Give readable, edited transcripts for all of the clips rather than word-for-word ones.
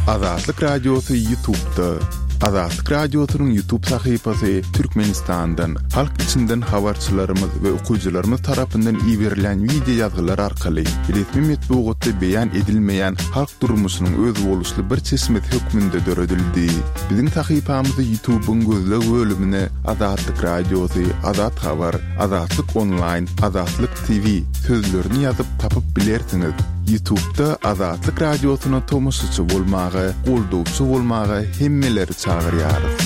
Azatlyk Radiosy Ýutubda. Azatlyk Radiosynyň Ýutub sahypasy Türkmenistandan, halk içinden habarçylarymyz we okyjylarymyz tarapyndan iberilýän wideo ýazgylar arkaly resmi metbugatda beýan edilmeýän halk durmuşynyň özboluşly bir çeşmesi hökmünde döredildi. Biziň sahypamyzy Ýutubyň gözleg bölümine Azatlyk Radiosy, Azat Habar, Azatlyk Onlaýn, Azatlyk TV sözlerini ýazyp tapyp bilersiňiz. Ýutubda Azatlyk Radiosyna tomaşaçy bolmaga, goldawçy bolmaga hemmeleri çagyrýarys.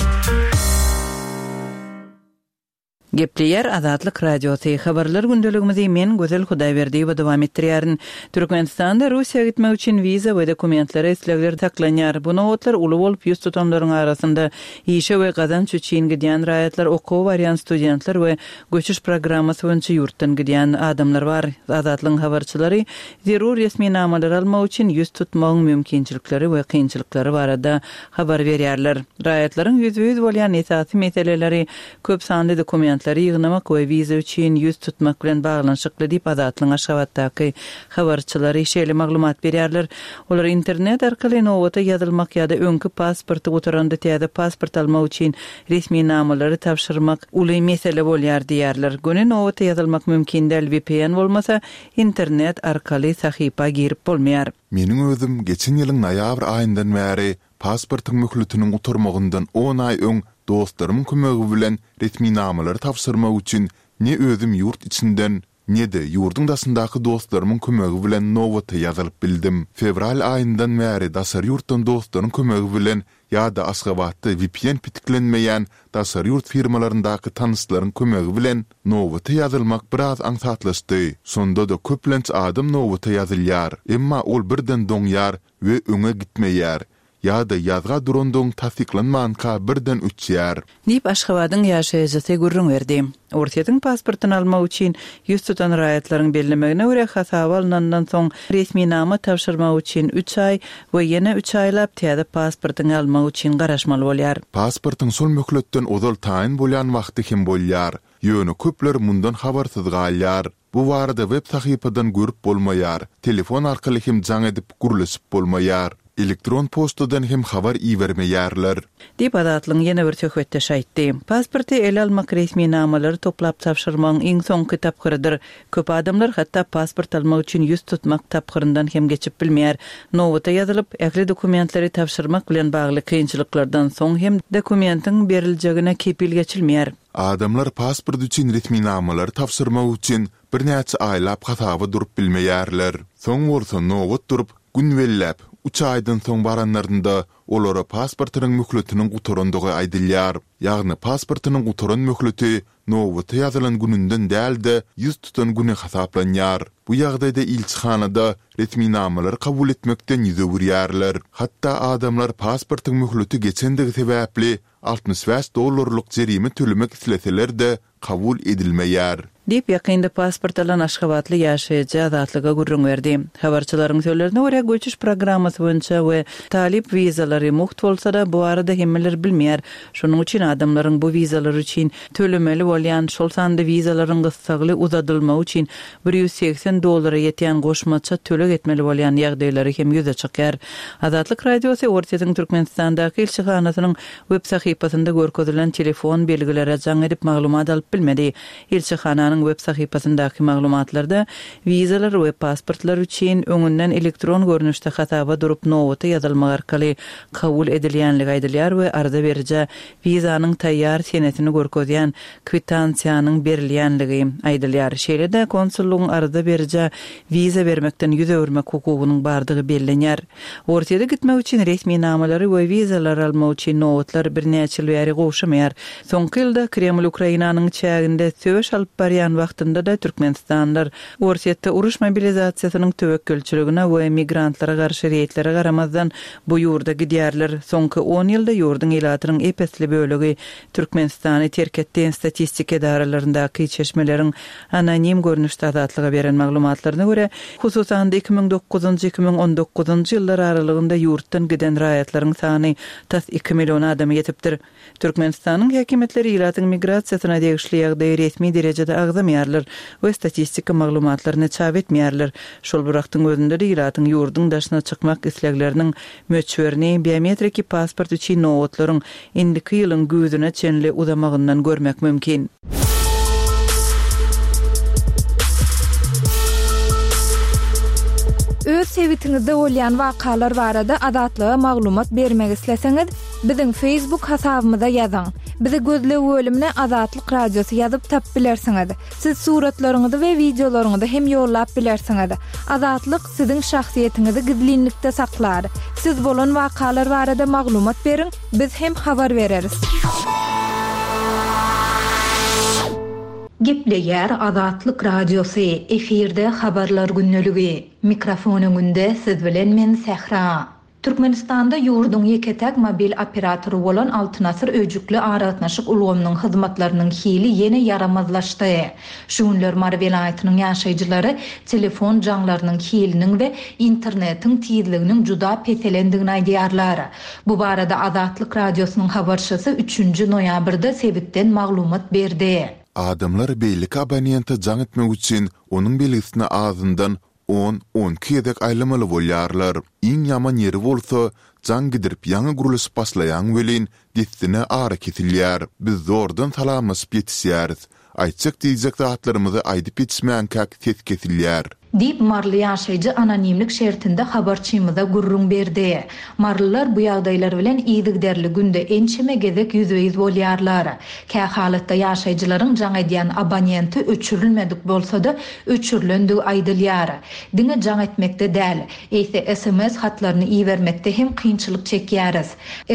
Gepleýär Azatlyk Radiosy, Habarlar gündeligimizi men Gözel Hudaýberdiýewa dowam etdirýärin. Türkmenistanda Russiýa gitmek üçin wiza we dokumentlere islegler saklanýar. Bu nobatlar uly bolup, ýüz tutanlaryň arasynda işe we gazanç üçin gidýän raýatlar, okuwa barýan studentler we göçüş programmasy boýunça ýurtdan gidýän adamlar bar. Azatlygyň habarçylary zerur resminamalary almak üçin ýüz tutmagyň mümkinçilikleri we kynçylyklary barada habar berýärler. Raýatlaryň ýüzbe-ýüz bolýan esasy meseleleri köp sanly dokumentleri ýygnamak we wiza üçin ýüz tutmak bilen baglanyşykly diýip, Azatlygyň Aşgabatdaky habarçylary şeýle maglumat berýärler. Olar internet arkaly nobata ýazylmak ýa-da öňki pasporty gutaranda täze pasport almak üçin resminamalary tabşyrmak uly mesele bolýar diýýärler. Göni nobata ýazylmak mümkin däl, vpn bolmasa, internet arkaly sahypa girip bolmaýar. Meniň özüm geçen ýylyň noýabr aýyndan bäri pasportyň möhletiniň gutarmagyndan on aý öň dostlarymyň kömegi bilen resminamalary tabşyrmak üçin ne özüm ýurt içinden, ne-de ýurduň daşyndaky dostlarymyň kömegi bilen nobata ýazylyp bildim. Fewral aýyndan bäri daşary ýurtdan dostlaryň kömegi bilen ýa-da Aşgabatda vpn petiklenmeýän daşary ýurt firmalaryndaky tanyşlaryň kömegi bilen nobata ýazylmak biraz aňsatlaşdy. Şonda-da köplenç adam nobata ýazylýar, emma ol birden doňýar we öňe gitmeýär ýa-da ýazga durandygyň tassyklanmanka birden öçýär. Diýip, Aşgabadyň ýaşaýjysy gürrüň berdi. Orsýetiň pasportyny almak üçin ýüz tutan raýatlaryň bellemegine görä, hasaba alnandan soň resminama tabşyrmak üçin üç aý we ýene üç aýlap täze pasportyňy almak üçin garaşmaly bolýar. Pasportyň şol möhletden ozal taýyn bolýan wagty hem bolýar. Ýöne köpler mundan habarsyz galýar. Bu barada web sahypadan görüp bolmaýar, telefon arkaly hem jaň edip gürleşip bolmaýar. Elektron poçtadan hem habar ibermeýärler. Diýip, Azatlygyň ýene bir söhbetdeşi aýtdy. Pasporty ele almak resminamalary toplap tabşyrmagyň iň soňky tapgyrydyr. Köp adamlar hatda pasport almak üçin ýüz tutmak tapgyryndan hem geçip bilmeýär. Nobata ýazylyp, ähli dokumentleri tabşyrmak bilen bagly kynçylyklardan soň hem dokumentiň beriljegine kepil geçilmeýär. Adamlar pasport üçin resminamalary tabşyrmak üçin birnäçe aýlap hasaba durup bilmeýärler. Soň bolsa nobat durup, gün belläp, üç aýdan soň baranlarynda olara pasportynyň möhletiniň gutarandygy aýdylýar. Ýagny pasportynyň gutaran möhleti nobata ýazylan gününden däl-de, ýüz tutan güni hasaplanýar. Bu ýagdaýda ilçihanada resminamalary kabul etmekden ýüz öwürýärler. Hatda adamlar pasportyň möhleti geçendigi sebäpli 65 dollarlyk jerime tölemek isleseler-de, kabul edilmeýär. Diýip, ýakynda pasport alan aşgabatly ýaşaýjy Azatlyga gürrüň berdi. Habarçylaryň sözlerine görä, göçüş programmasy boýunça we talyp wizalary mugt bolsa-da, bu barada hemmeler bilmeýär. Şonuň üçin adamlaryň bu wizalar üçin tölemeli bolýan, şol sanda wizalaryň gyssagly uzadylmagy üçin 180 dollara ýetýän goşmaça töleg etmeli bolýan ýagdaýlary hem ýüze çykýar. Azatlyk Radiosy Orsýetiň Türkmenistandaky ilçihanasynyň web sahypasynda görkezilen telefon belgilere jaň edip maglumat alyp bilmedi. Ilçihananyň web sahypasyndaky maglumatlarda wizalar we pasportlar üçin öňünden elektron görnüşde hasaba durup nobata ýazylmak arkaly kabul edilýänligi aýdylýar we arza berijä wizanyň taýýar senesini görkezýän kwitansiýanyň berilýänligi aýdylýar. Şeýle-de, konsullygyň arza berijä wiza bermekden ýüz öwürmek hukugynyň bardygy bellenýär. Orsýete gitmek üçin resminamalary we wizalary almak üçin nobatlar birnäçe ýyl bäri gowşamaýar. Soňky ýylda Kreml Ukrainanyň çäginde söweş alyp barýan wagtynda-da türkmenistanlylar Orsýetde uruş mobilizasiýasynyň töwekgelçiligine we migrantlara garşy reýdlere garamazdan bu ýurda gidýärler. Soňky on ýylda ýurduň ilatynyň ep-esli bölegi Türkmenistany terk etdi. Statistika edaralaryndaky çeşmeleriň anonim görnüşde Azatlyga beren maglumatlaryna görä, hususan-da 2009-njy, 2019-njy ýyllar aralygynda ýurtdan giden raýatlaryň sany tas iki million adama ýetipdir. Türkmenistanyň häkimiýetleri ilatyň migrasiýasyna degişli ýagdaýy resmi derejede agzamaýar. agzamaýarlar we statistika maglumatlaryny çap etmeýärler. Şol bir wagtyň özünde-de ilatyň ýurduň daşyna çykmak islegleriniň möçberini biometriki pasport üçin nobatlaryň indiki ýylyň güýzüne çenli uzamagyndan görmek mümkin. Öz sebitiňizde bolýan wakalar barada Azatlyga maglumat bermek isleseňiz, biziň Facebook hasabymyza ýazyň. Bizi gözleg bölümine Azatlyk Radiosy ýazyp tapyp bilersiňiz. Siz suratlaryňyzy we wideolaryňyzy hem ýollap bilersiňiz. Azatlyk siziň şahsyýetiňizi gizlinlikde saklar. Siz bolan wakalar barada maglumat beriň, biz hem habar bereris. Gepleýär Azatlyk Radiosy, efirde Habarlar gündeligi. Mikrofon öňünde siz bilen men Sähra. Türkmenistanda ýurduň ýeke-täk mobil operatory bolan Altyn Asyr öýjükli aragatnaşyk ulgamynyň hyzmatlarynyň hili ýene ýaramazlaşdy. Şu günler Mary welaýatynyň ýaşaýjylary telefon jaňlarynyň hiliniň we internetiň tizliginiň juda peselendigini aýdýarlar. Bu barada Azatlyk Radiosynyň habarçysy üçünji noýabrda sebitden maglumat berdi. Adamlar beýleki abonente jaň etmek üçin onuň belgisine azyndan On, onki gezek aýlamaly bolýarlar. Iň ýaman ýeri bolsa, jaň gidirip ýaňy gürleşip başlaýaň welin, dessine ara kesilýär. Biz zordan salamlaşyp ýetişýäris. Aýtjak-diýjek zatlarymyzy aýdyp ýetişmänkäk ses kesilýär. Diýip, maryly ýaşaýjy anonimlik şertinde habarçymyza gürrüň berdi. Marylylar bu ýagdaýlar bilen yzygiderli günde ençeme gezek ýüzbe-ýüz bolýarlar. Kähalatda ýaşaýjylaryň jaň edýän abonenti öçürilmedik bolsa-da, öçürilendigi aýdylýar. Diňe jaň etmekde däl, eýse sms hatlaryny ibermekde hem kynçylyk çekýäris.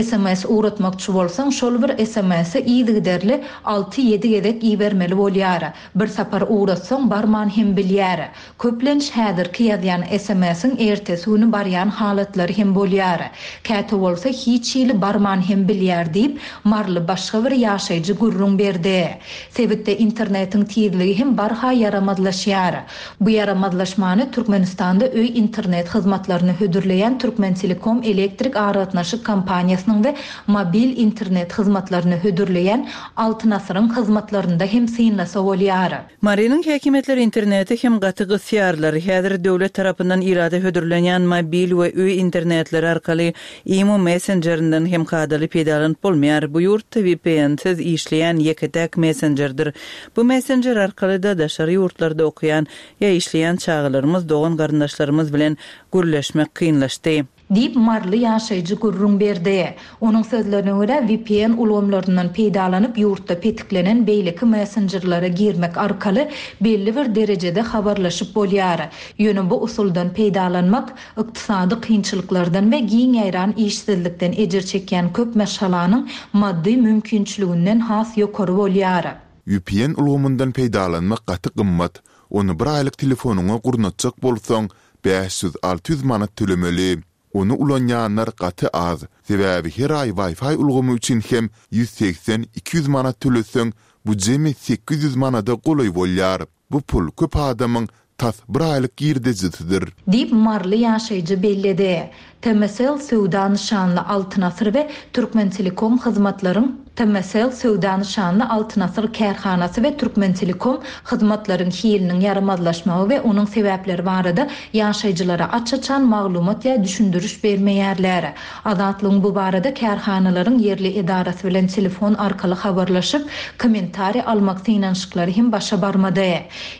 Sms ugratmakçy bolsaň, şol bir sms-i yzygiderli alty-ýedi gezek ibermeli bolýar. Bir sapar ugratsaň, barman hem bilýär. Köplenç häzirki ýazýan sms-iň ertesi güni barýan halatlary hem bolýar. Käte bolsa hiç hili barman hem bilýär diýip, maryly başga bir ýaşaýjy gürrüň berdi. Sebitde internetiň tizligi hem barha ýaramazlaşýar. Bu ýaramazlaşmany Türkmenistanda öý internet hyzmatlaryny hödürleýän Türkmentelekom elektrik aragatnaşyk kompaniýasynyň we mobil internet hyzmatlaryny hödürleýän Altyn Asyryň hyzmatlarynda hem synlasa bolýar. Marynyň häkimiýetleri interneti hem gaty gysýarlar. Häzir döwlet tarapyndan ilata hödürlenýän mobil we öý internetleri arkaly imo messenjerinden hem kadaly peýdalanyp bolmaýar. Bu ýurtda VPN-siz işleýän ýeke-täk messenjerdir. Bu messenjer arkaly-da daşary ýurtlarda okaýan ýa işleýän çagalarymyz, dogan-garyndaşlarymyz bilen gürleşmek kynlaşdy. Diýip, maryly ýaşaýjy gürrüň berdi. Onuň sözlerine görä, vpn ulgamlaryndan peýdalanyp, ýurtda petiklenen beýleki messenjerlere girmek arkaly belli bir derejede habarlaşyp bolýar. Ýöne bu usuldan peýdalanmak ykdysady kynçylyklardan we giň ýaýran işsizlikden ejir çekýän köp maşgalanyň maddy mümkinçiliginden has ýokary bolýar. Vpn ulgamyndan peýdalanmak gaty gymmat. Ony bir aýlyk telefonyňa gurnatjak bolsaň, 500, 600 manat tölemeli. Ony ulanýanlar gaty az, sebäbi her aý Wi-Fi ulgamy üçin hem 180, 200 manat töleseň, bu jemi 800 manada golaý bolýar. Bu pul köp adamyň tas bir aýlyk girdejisidir. Diýip, maryly ýaşaýjy belledi. Tmcell söwda nyşanly Altyn Asyr we Türkmentelekom hyzmatlaryň Tmcell söwda nyşanly Altyn Asyr kärhanasy we Türkmentelekom hyzmatlaryň hiliniň ýaramazlaşmagy we onuň sebäpleri barada ýaşaýjylara aç-açan maglumat ýa düşündiriş bermeýärler. Azatlygyň bu barada kärhanalaryň ýerli edarasy bilen telefon arkaly habarlaşyp, kommentariý almak synanyşyklary hem başa barmady.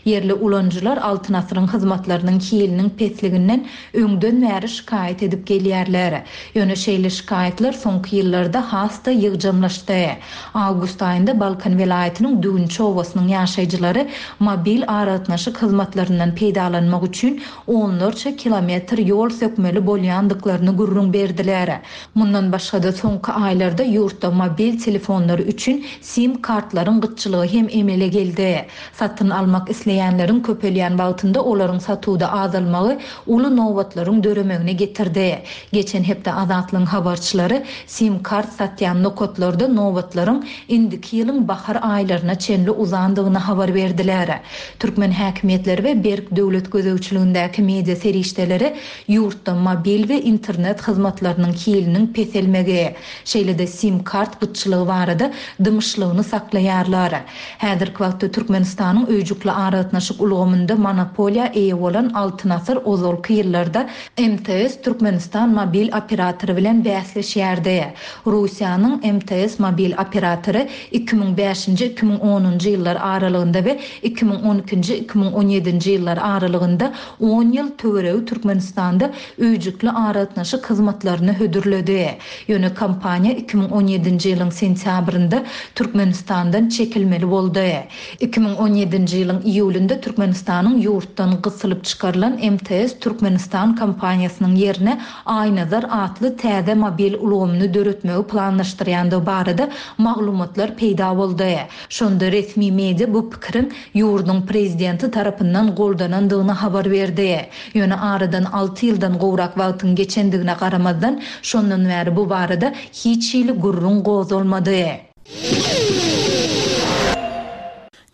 Ýerli ulanyjylar Altyn Asyryň hyzmatlarynyň hiliniň pesliginden öňden bäri şikaýat edip gelýärler. Ýöne şeýle şikaýatlar soňky ýyllarda has-da ýygjamlaşdy. Awgust aýynda Balkan welaýatynyň Düwünçi obasynyň ýaşaýjylary mobil aragatnaşyk hyzmatlaryndan peýdalanmak üçin onlarça kilometr ýol sökmeli bolýandyklaryny gürrüň berdiler. Mundan başga-da, soňky aýlarda ýurtda mobil telefonlary üçin sim kartlaryň gytçylygy hem emele geldi. Satyn almak isleýänleriň köpelýän wagtynda olaryň satuwda azalmagy uly nobatlaryň döremegine getirdi. Geçen hepde Azatlygyň habarçylary sim kart satýan nokatlarda nobatlaryň. nobatlaryň indiki ýylyň bahar aýlaryna çenli uzandygyny habar berdiler. Türkmen häkimiýetleri we berk döwlet gözegçiligindäki media serişdeleri ýurtda mobil we internet hyzmatlarynyň hiliniň peselmegi, şeýle-de sim-kart gytçylygy barada dymyşlygyny saklaýarlar. Häzirki wagtda Türkmenistanyň öýjükli aragatnaşyk ulgamynda monopoliýa eýe bolan Altyn Asyr ozalky ýyllarda MTS Türkmenistan mobil operatory bilen bäsleşýärdi. Russiýanyň MTS mobil operatory 2005-nji, 2010-njy ýyllar aralygynda we 2012-nji, 2017-nji ýyllar aralygynda on ýyl töweregi Türkmenistanda öýjükli aragatnaşyk hyzmatlaryny hödürledi. Ýöne kompaniýa 2017-nji ýylyň sentýabrynda Türkmenistandan çekilmeli boldy. 2017-nji ýylyň iýulynda Türkmenistanyň ýurtdan gysylyp çykarylan MTS Türkmenistan kompaniýasynyň ýerine Aýnazar atly täze mobil ulgamyny döretmegi planlaşdyrýandygy barada maglumatlar peýda boldy. Şonda resmi media bu pikiriň ýurduň prezidenti tarapyndan goldanandygyny habar berdi. Ýöne aradan alty ýyldan gowrak wagtyň geçendigine garamazdan, şondan bäri bu barada hiç hili gürrüň gozgalmady.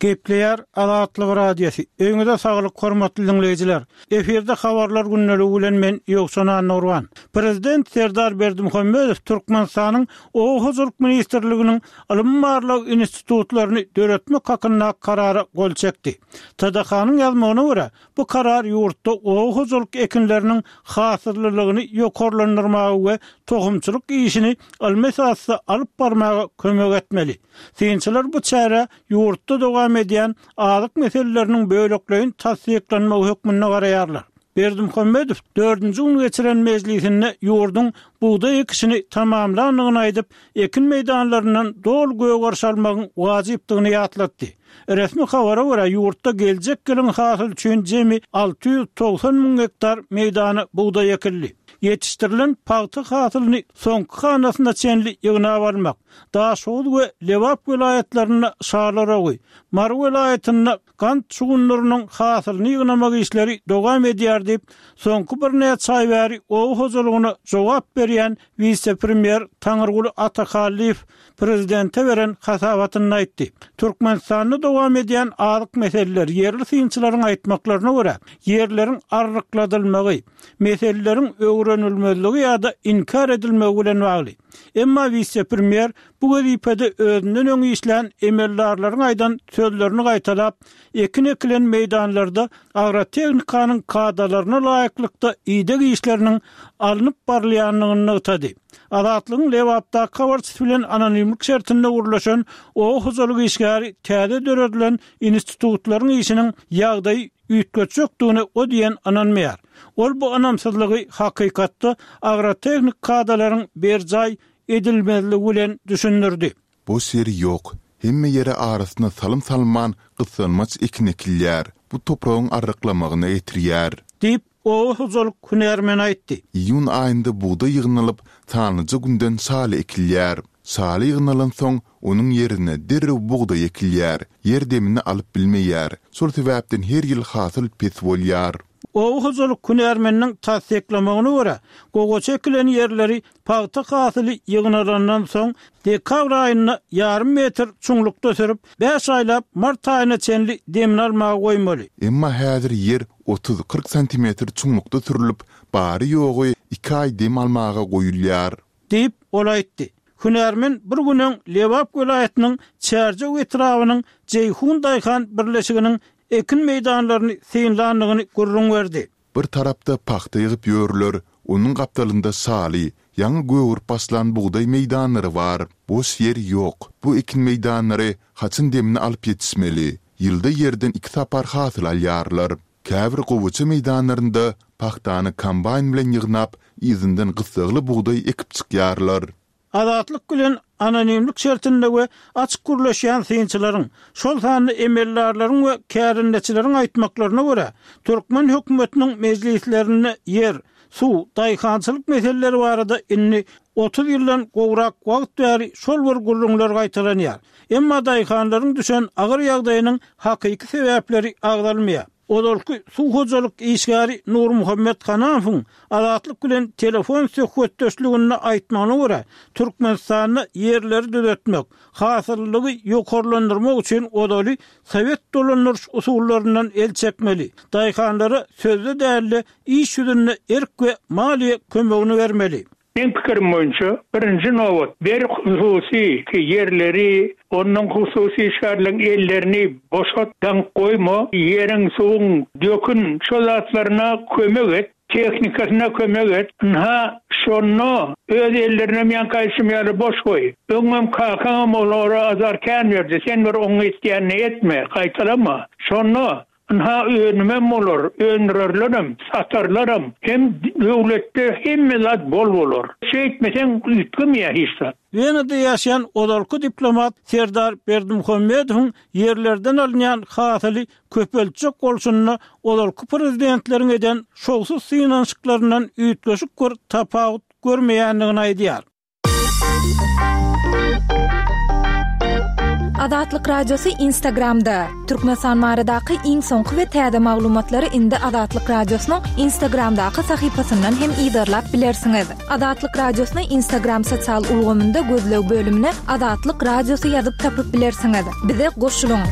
Gepleýär Azatlyk Radiosy. Öýüňize saglyk hormatly diňleýjiler. Efirde habarlar gündeligi bilen men Ýowşan Annagurban. Prezident Serdar Berdimuhamedow Türkmenistanyň Oba hojalyk ministrliginiň ylmy-barlag institutlaryny döretmek hakyndaky Karara gol çekdi. TDH-nyň ýazmagyna görä, bu karar ýurtda oba hojalyk ekinleriniň hasyllylygyny ýokarlandyrmaga we tohumçylyk işini ylmy esasda alyp barmaga kömek etmeli. Synçylar bu çärä ýurtda dowam edýän azyk meseleleriniň bölekleýin tassyklanmagy hökmünde garaýarlar. Berdimuhamedow dördünji gün geçiren mejlisinde ýurduň bugdaý ekişini tamamlandygyny aýdyp, ekin meýdanlaryndan doly gögeriş almagyň wajypdygyny ýatlatdy. Resmi habara görä, ýurtda geljek ýylyň hasyly üçin jemi 690 müň gektar meýdana bugdaý ekildi. Ýetişdirilen pagta hasylyny soňky hanasyna çenli ýygnap almak, Daşoguz we Lebap welaýatlarynda şalar ogy, Mary welaýatynda Gant şugundyrynyň hasylyny ýygnamak işleri dowam edýär diýip, soňky birnäçe aý bäri oba hojalygyna jogap berýän wise-premýer Taňyrguly Atahallyýew prezidente beren hasabatynda aýtdy. Türkmenistanda dowam edýän azyk meseleleri, ýerli synçylaryň aýtmaklaryna görä, ýerleriň arrykladylmagy, meseleleriň öwrenilmezligi ýa-da inkär edilmegi bilen bagly. Emma wise-premýer bu wezipede özünden öň işlän emeldarlaryň aýdan sözlerini gaýtalap, ekin ekilen meýdanlarda agrotehnikanyň kadalaryna laýyklykda ideg işleriniň alnyp barylýandygyny nygtady. Azatlygyň Lebapdaky habarçysy bilen anonimlik şertinde gürleşen oba hojalyk işgäri täze döredilen institutlaryň işiniň ýagdaýy üýtgetjekdigine o diýen ynanmaýar. Ol bu ynamsyzlygy hakykatda agrotehnik kadalaryň berjaý edilmezligi bilen düşündirdi. Boş ýeri ýok. Hemme ýere arasyna salym salman, gyssanmaç ekin ekilýär. Bu topragyň arryklamagyna getirýär. Diýip, oba hojalyk hünärmeni aýtdy. Iýun aýynda bugdaý ýygnalyp, sanlyja günden şaly ekilýär. Şaly ýygnalansoň, onuň ýerine derrew bugdaý ekilýär. Ýer demini alyp bilmeýär. Şol sebäpden her ýyl hasyl pes bolýar. Oba hojalyk hünärmeniniň tassyklamagyna görä, gowaça ekilen ýerleri pagta hasyly ýygnalandan soň, dekabr aýynda ýarym metr çuňlukda sürüp, bäş aýlap mart aýyna çenli demini almaga goýmaly. Emma häzir ýer otuz-kyrk santimetr çuňlukda sürlüp, bary-ýogy iki aý dem almaga goýulýar. Diýip, ol aýtdy. Hünärmen bir gün öň Lebap welaýatynyň Çärjew etrabynyň Jeýhun daýhan birleşiginiň ekin meýdanlaryny synlandygyny gürrüň berdi. Bir tarapda pagta ýygyp ýörler, onuň gapdalynda şaly, ýaňy gögerip başlan bugdaý meýdanlary bar. Boş ýer ýok. Bu ekin meýdanlary haçan demini alyp ýetişmeli? Ýylda ýerden iki sapar hasyl alýarlar. Käbir gowaça meýdanlarynda pagtany kombaýn bilen ýygnap, yzyndan gyssagly bugdaý ekip çykýarlar. Azatlyk bilen anonimlik şertinde we açyk gürleşýän synçylaryň, şol sanda emeldarlaryň we kärendeçileriň aýtmaklaryna görä, türkmen hökümetiniň mejlislerinde ýer, suw, daýhançylyk meseleleri barada indi 30 ýyldan gowrak wagt bäri şol bir gürrüňler gaýtalanýar. Emma daýhanlaryň düşen agyr ýagdaýynyň hakyky sebäpleri agzalmaýar. Ozalky suw hojalyk işgäri Nurmuhammet Hanamowyň Azatlyk bilen telefon söhbetdeşliginde aýtmagyna görä, Türkmenistanda ýerleri düzetmek, hasyllylygy ýokarlandyrmak üçin ozaly sowet dolandyryş usullaryndan el çekmeli, daýhanlara sözde däl-de, iş ýüzünde erk we maliýe kömegini bermeli. Meň pikirim boýunça, birinji nobat, ber hususy ýerleri, onnoň hususy işgärleň ellerini boşat, daňyp goýma, ýeriň, suwuň, dökün, şo zatlaryna kömek et, tehnikasyna kömek et, ynha, şonda öz ellerinem ýaňky aýdyşym ýaly boş goý. Öňem kakaňam olara azar kän berdi, sen bir oň etýänini etme, gaýtalama. Şonda Ynha, önümem bolar, öndürerlerem, satarlaram, hem döwletde hemme zat bol bolar. Şeýtmeseň üýtgemeýär hiç zat. Wenada ýaşaýan ozalky diplomat Serdar Berdimuhamedowyň ýerlerden alynýan hasyly köpeltjek bolşunda ozalky prezidentleriň eden şowsuz synanyşyklaryndan üýtgeşik bir tapawut görmeýändigini aýdýar. Azatlyk Radiosy Instagramda, Türkmenistan baradaky iň soňky we täze maglumatlary indi Azatlyk Radiosynyň Instagramdaky sahypasyndan hem yzarlap bilersiňiz. Azatlyk Radiosyny Instagram sosial ulgamynda gözleg bölümine Azatlyk Radiosy ýazyp tapyp bilersiňiz. Bize goşulyň!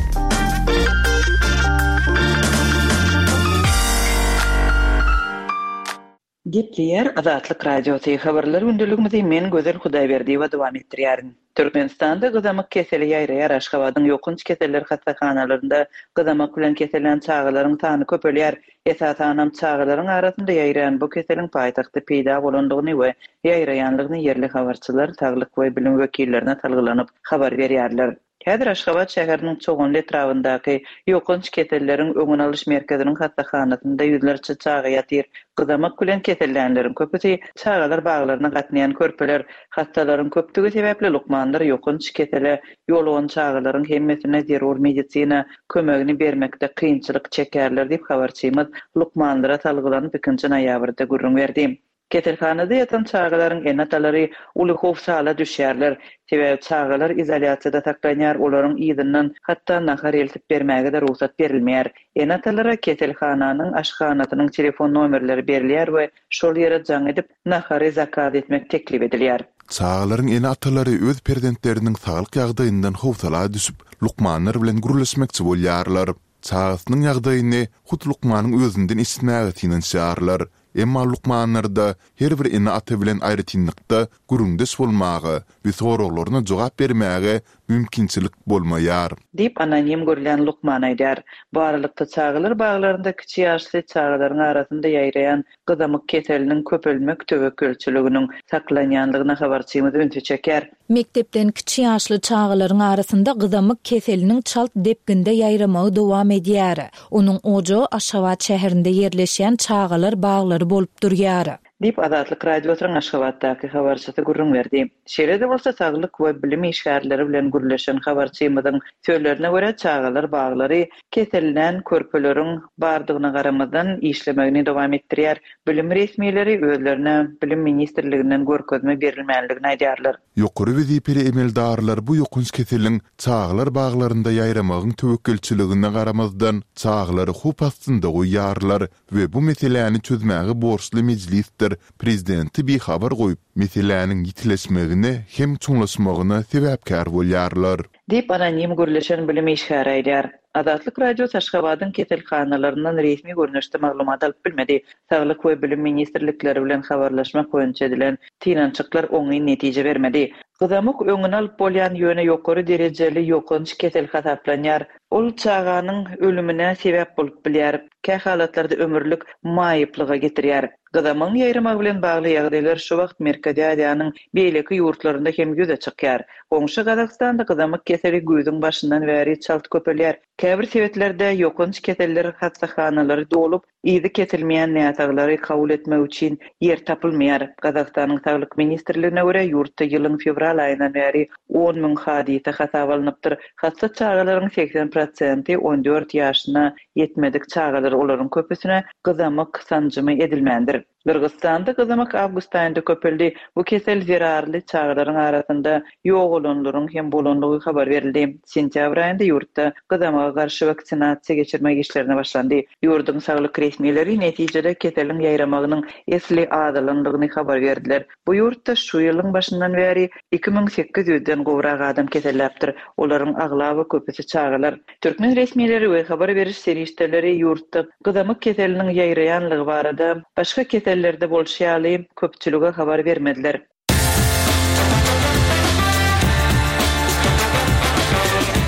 Gepleýär Azatlyk Radiosy, Habarlar gündeligimizi men Gözel Hudaýberdiýewa dowam etdirýärin. Türkmenistanda gyzamyk keseli ýaýraýar Aşgabadyň ýokanç keseller hassahanalarynda gyzamak bilen kesellän çagalaryň sany köpelýär. Esasanam çagalaryň arasynda ýaýraýan bu keseliň paýtagtda peýda bolandygyny we ýaýraýanlygyny ýerli habarçylar saglyk we bilim wekillerine salgylanyp habar berýärler. Häzir Aşgabat şäheriniň Çoganly etrabyndaky Ýokanç keselleriň öňüni alyş merkeziniň hassahanasynda ýüzlerçe çaga ýatyr. Gyzamak bilen kesellänleriň köpüsi çagalar baglaryna gatnaýan körpeler. Hassalaryň köpdügi sebäpli lukmanlar ýokanç kesele ýolugan çagalaryň hemmesine zerur medisina kömegini bermekde kynçylyk çekýärler diýip, habarçymyz lukmanlara salgylanyp ikinji noýabrda gürrüň berdi. Keselhanada ýatan çagalaryň ene-atalary uly howsala düşýärler. Sebäbi çagalar izolýasiýada saklanýar, olaryň yzyndan hatda nahar eltip bermäge-de rugsat berilmeýär. Ene-atalara keselhananyň aşhanasynyň telefon nomerleri berilýär we şol ýere jaň edip, nahary zakaz etmek teklip edilýär. Çagalaryň ene-atalary öz perzentleriniň saglyk ýagdaýyndan howsala düşüp, lukmanlar bilen gürleşmekçi bolýarlar. Çagasynyň ýagdaýyny hut lukmanyň özünden eşitmäge synanyşýarlar. Emma lukmanlarda her bir ene-ata bilen aýratynlykda gürrüňdeş bolmaga we soraglaryna jogap bermäge mümkinçilik bolmaýar. Diýip, anonim görülýän lukman aýdýar. Bu aralykda, çagalar baglarynda kiçi ýaşly çagalaryň arasynda ýaýraýan gyzamyk keseliniň köpelmek töwekgelçiliginiň saklanýandygyna habarçymyz ünsi çekýär. Mekdepden kiçi ýaşly çagalaryň arasynda gyzamyk keseliniň çalt depginde ýaýramagy dowam edýär. Onuň ojagy Aşgabat şäherinde ýerleşýän çagalar baglary bolup durýar. Diýip, Azatlyk Radiosynyň Aşgabatdaky habarçysy gürrüň berdi. Şeýle-de bolsa, saglyk we bilim işgärleri bilen gürleşen habarçymyzyň sözlerine görä, çagalar baglary kesellän körpeleriň bardygyna garamazdan, işlemegini dowam etdirýär. Bilim resmileri özlerine Bilim ministrliginden görkezme berilmänligini aýdýarlar. Ýokary wezipeli emeldarlar bu ýokanç keseliň çagalar baglarynda ýaýramagyň töwekgelçiligine garamazdan, çagalary howp astynda goýýarlar we bu meseläni çözmäge borçly mejlisdir prezidenti bihabar goýup, meseläniň ýitileşmegine hem çuňlaşmagyna sebäpkär bolýarlar. Diýip, anonim gürleşen bilim işgäri aýdýar. Azatlyk Radiosy Aşgabadyň keselhanalaryndan resmi görnüşde maglumat alyp bilmedi. Saglyk we Bilim ministrlikleri bilen habarlaşmak boýunça edilen synanyşyklar oňyn netije bermedi. Gyzamyk öňüni alyp bolýan, ýöne ýokary derejeli ýokanç kesel hasaplanýar. Ol çaganyň ölümine sebäp bolup bilýär, kähalatlarda ömürlik maýyplyga getirýär. Gyzamygyň ýaýramagy bilen bagly ýagdaýlar şu wagt Merkezi Aziýanyň beýleki ýurtlarynda hem ýüze çykýar. Goňşy Gazagystanda gyzamyk keseli güýzüň başyndan bäri çalt köpelýär. Käbir sebitlerde ýokanç keseller hassahanalary dolup, Yzy kesilmeýän näsaglary kabul etmek üçin ýer tapylmaýar. Gazagystanyň Saglyk ministrligine görä, ýurtda ýylyň fewral aýyndan bäri 10 müň hadysa hasaba alnypdyr. Hassa çagalaryň 80 prosenti 14 ýaşyna ýetmedik çagalar, olaryň köpüsine gyzamyk sanjymy edilmändir. Gyrgyzystanda gyzamyk awgust aýynda köpeldi. Bu kesel zerarly çagalaryň arasynda ýogalanlaryň hem bolandygy habar berildi. Sentýabr aýynda ýurtda gyzamyga garşy waksinasiýa geçirmek işlerine başlandy. Ýurduň saglyk resmileri netijede keseliň ýaýramagynyň esli azalandygyny habar berdiler. Bu ýurtda şu ýylyň başyndan bäri 2800 den gowrak adam keselläpdir. Olaryň aglaba köpüsi çagalar. Türkmen resmileri we habar beriş serişdeleri ýurtda gyzamyk keseliniň ýaýraýanlygy barada, başga kesellerde bolşy ýaly, köpçülige habar bermediler.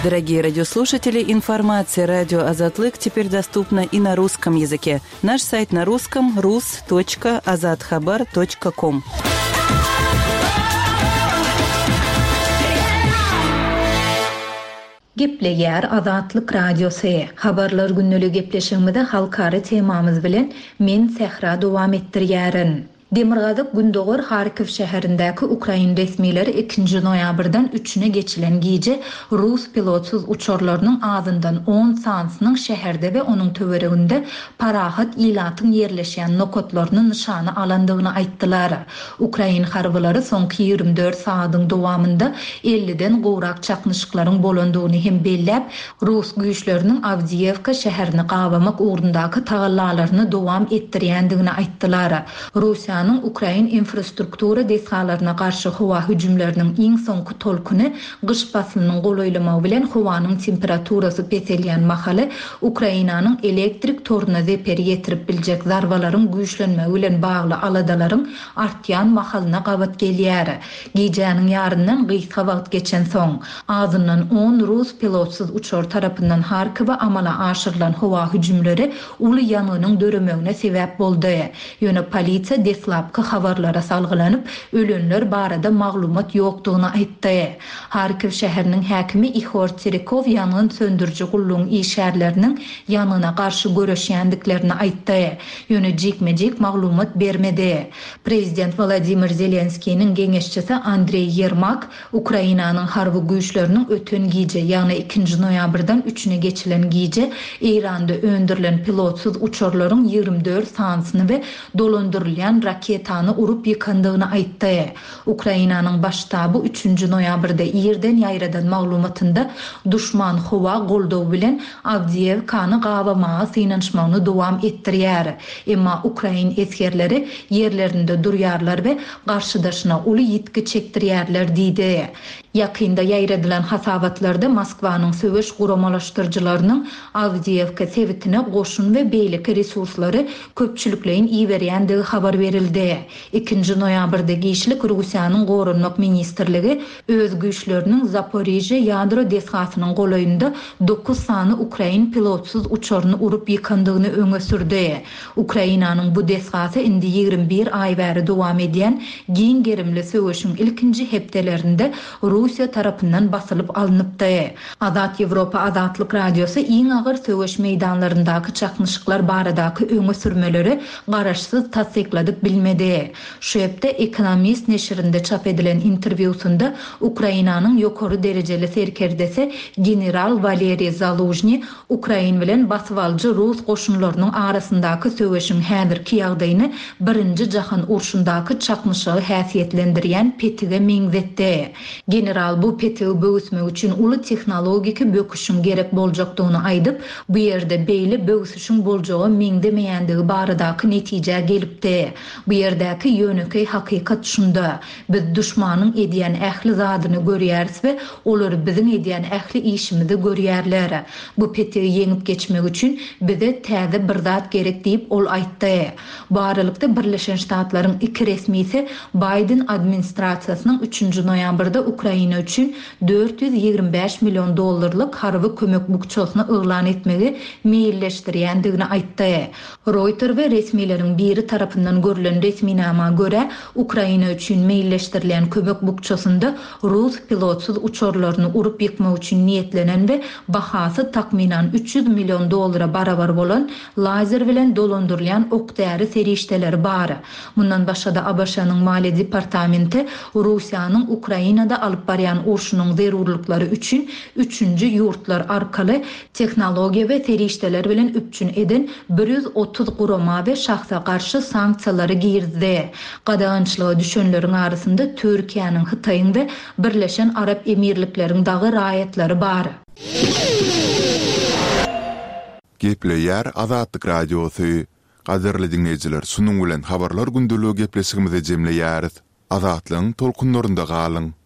Дорогие радиослушатели, информация радио Азатлык теперь доступна и на русском языке. Наш сайт на русском rus.azathabar.com. Gepleýär Azatlyk Radiosy. Habarlar gündeligi gepleşigimizi halkara temamyz bilen men Sähra dowam etdirýärin. Demirgazyk gündogar Harkiw şäherindäki ukrain resmileri ikinji noýabrdan üçüne geçilen gije rus pilotsyz uçarlarynyň azyndan on sanysynyň şäherde we onuň töwereginde parahat ilatyň ýerleşýän nokatlaryny nyşana alandygyny aýtdylar. Ukrain harbylary soňky 24 sagadyň dowamynda elliden gowrak çaknyşyklaryň bolandygyny hem belläp, rus güýçleriniň Awdiýewka şäherini gabamak ugrundaky tagallalaryny dowam etdirýändigini aýtdylar. Russiýanyň ukrain infrastruktura desgalaryna garşy howa hüjümleriniň iň soňky tolkuny gyş paslynyň golaýlamagy bilen howanyň temperaturasy peselýän mahaly Ukrainanyň elektrik toruna zeper ýetirip biljek zarbalaryň güýçlenmegi bilen bagly aladalaryň artýan mahalyna gabat gelýär. Gijäniň ýaryndan gysga wagt geçensoň, azyndan on rus pilotsyz uçary tarapyndan Harkowa amala aşyrylan howa hüjümleri uly ýangynyň döremegine sebäp boldy. Ýöne polisiýa deslapky habarlara salgylanyp, ölenler barada maglumat ýokdugyny aýtdy. Harkiw şäheriniň häkimi Ihor Terekow ýangyn söndüriji gullugyň işgärleriniň ýangyna garşy göreşýändiklerini aýtdy. Ýöne jikme-jik maglumat bermedi. Prezident Wolodymyr Zelenskiniň geňeşçisi Andreý Ýermak Ukrainanyň harby güýçleriniň öten gije, ýagny ikinji noýabrdan üçüne geçilen gije Eýranda öndürilen pilotsyz uçarlaryň 24 sanysyny we dolandyrylýan raketany urup ýykandygyny aýtdy. Ukrainanyň Baş ştaby üçünji noýabrda irden ýaýradan maglumatynda duşman howa goldawy bilen Awdiýewkany gabamaga synanyşmagyny dowam etdirýär. Emma ukrain esgerleri ýerlerinde durýarlar we garşydaşyna uly ýitgi çekdirýärler diýdi. Ýakynda ýaýradylan hasabatlarda Moskwanyň söweş guramalaşdyryjylarynyň Awdiýewka sebitine goşun we beýleki resurslary köpçülikleýin iberýändigi habar berildi. Ikinji noýabrda giçlik Russiýanyň Goranmak ministrligi öz güýçleriniň Zaporižýe ýadro desgasynyň golaýynda dokuz sany ukrain pilotsyz uçaryny urup ýykandygyny öňe sürdi. Ukrainanyň bu desgasy indi 21 aý bäri dowam edýän giň gerimli söweşiň ilkinji hepdelerinde Russiýa tarapyndan basylyp alnypdy. Azat Ýewropa Azatlyk Radiosy iň agyr söweş meýdanlaryndaky çaknyşyklar baradaky öňe sürmeleri garaşsyz tassykladyp bilmedi. Şu hepde Economist neşirinde çap edilen interwýusynda Ukrainanyň ýokary derejeli serkerdesi general Waleriý Zalužnyý ukrain bilen basybalyjy rus goşunlarynyň arasyndaky söweşiň häzirki ýagdaýyny Birinji jahan urşundaky çaknyşygy häsiýetlendirýän petige meňzetdi. General bu petigi böwüsmek üçin uly tehnologiki böküşiň gerek boljakdygyny aýdyp, bu ýerde beýle böwsüşiň boljaga meňzemeýändigi baradaky netijä gelipdi. Bu ýerdäki ýönekeý hakykat şunda, biz duşmanyň edýän ähli zadyny görýäris we olar biziň edýän ähli işimizi görýärler. Bu petigi ýeňip geçmek üçin bize täze bir zat gerek diýip, ol aýtdy. Bu aralykda, Birleşen Ştatlaryň iki resmisi Baýden administrasiýasynyň üçünji noýabrda Ukraina üçin 425 million dollarlyk harby kömek bukjasyny yglan etmegi meýilleşdirýändigini aýtdy. Roýter we resmileriň biri tarapyndan görlen. Görkezilen resminama görä, Ukraina üçin meýilleşdirilýän kömek bukjasynda rus pilotsyz uçarlaryny urup ýykmak üçin niýetlenen we bahasy takmynan 300 million dollara barabar bolan lazer bilen dolandyrylýan ok-däri serişdeleri bar. Mundan başga-da ABŞ-nyň Maliýe departamenti Russiýanyň Ukrainada alyp barýan urşunyň zerurlyklary üçin üçünji ýurtlar arkaly tehnologiýa we serişdeler bilen üpjün eden 130 gurama we şahsa garşy sanksiýalary girizdi. Gadagançylyga düşenleriň arasynda Türkiýäniň, Hytaýyň we Birleşen Arap Emirlikleriň dagy raýatlary bar. Gepleýär Azatlyk Radiosy. Gadyrly diňleýjiler şunuň bilen Habarlar gündeligi gepleşigimizi jemleýäris. Azatlygyň tolkunlarynda galyň!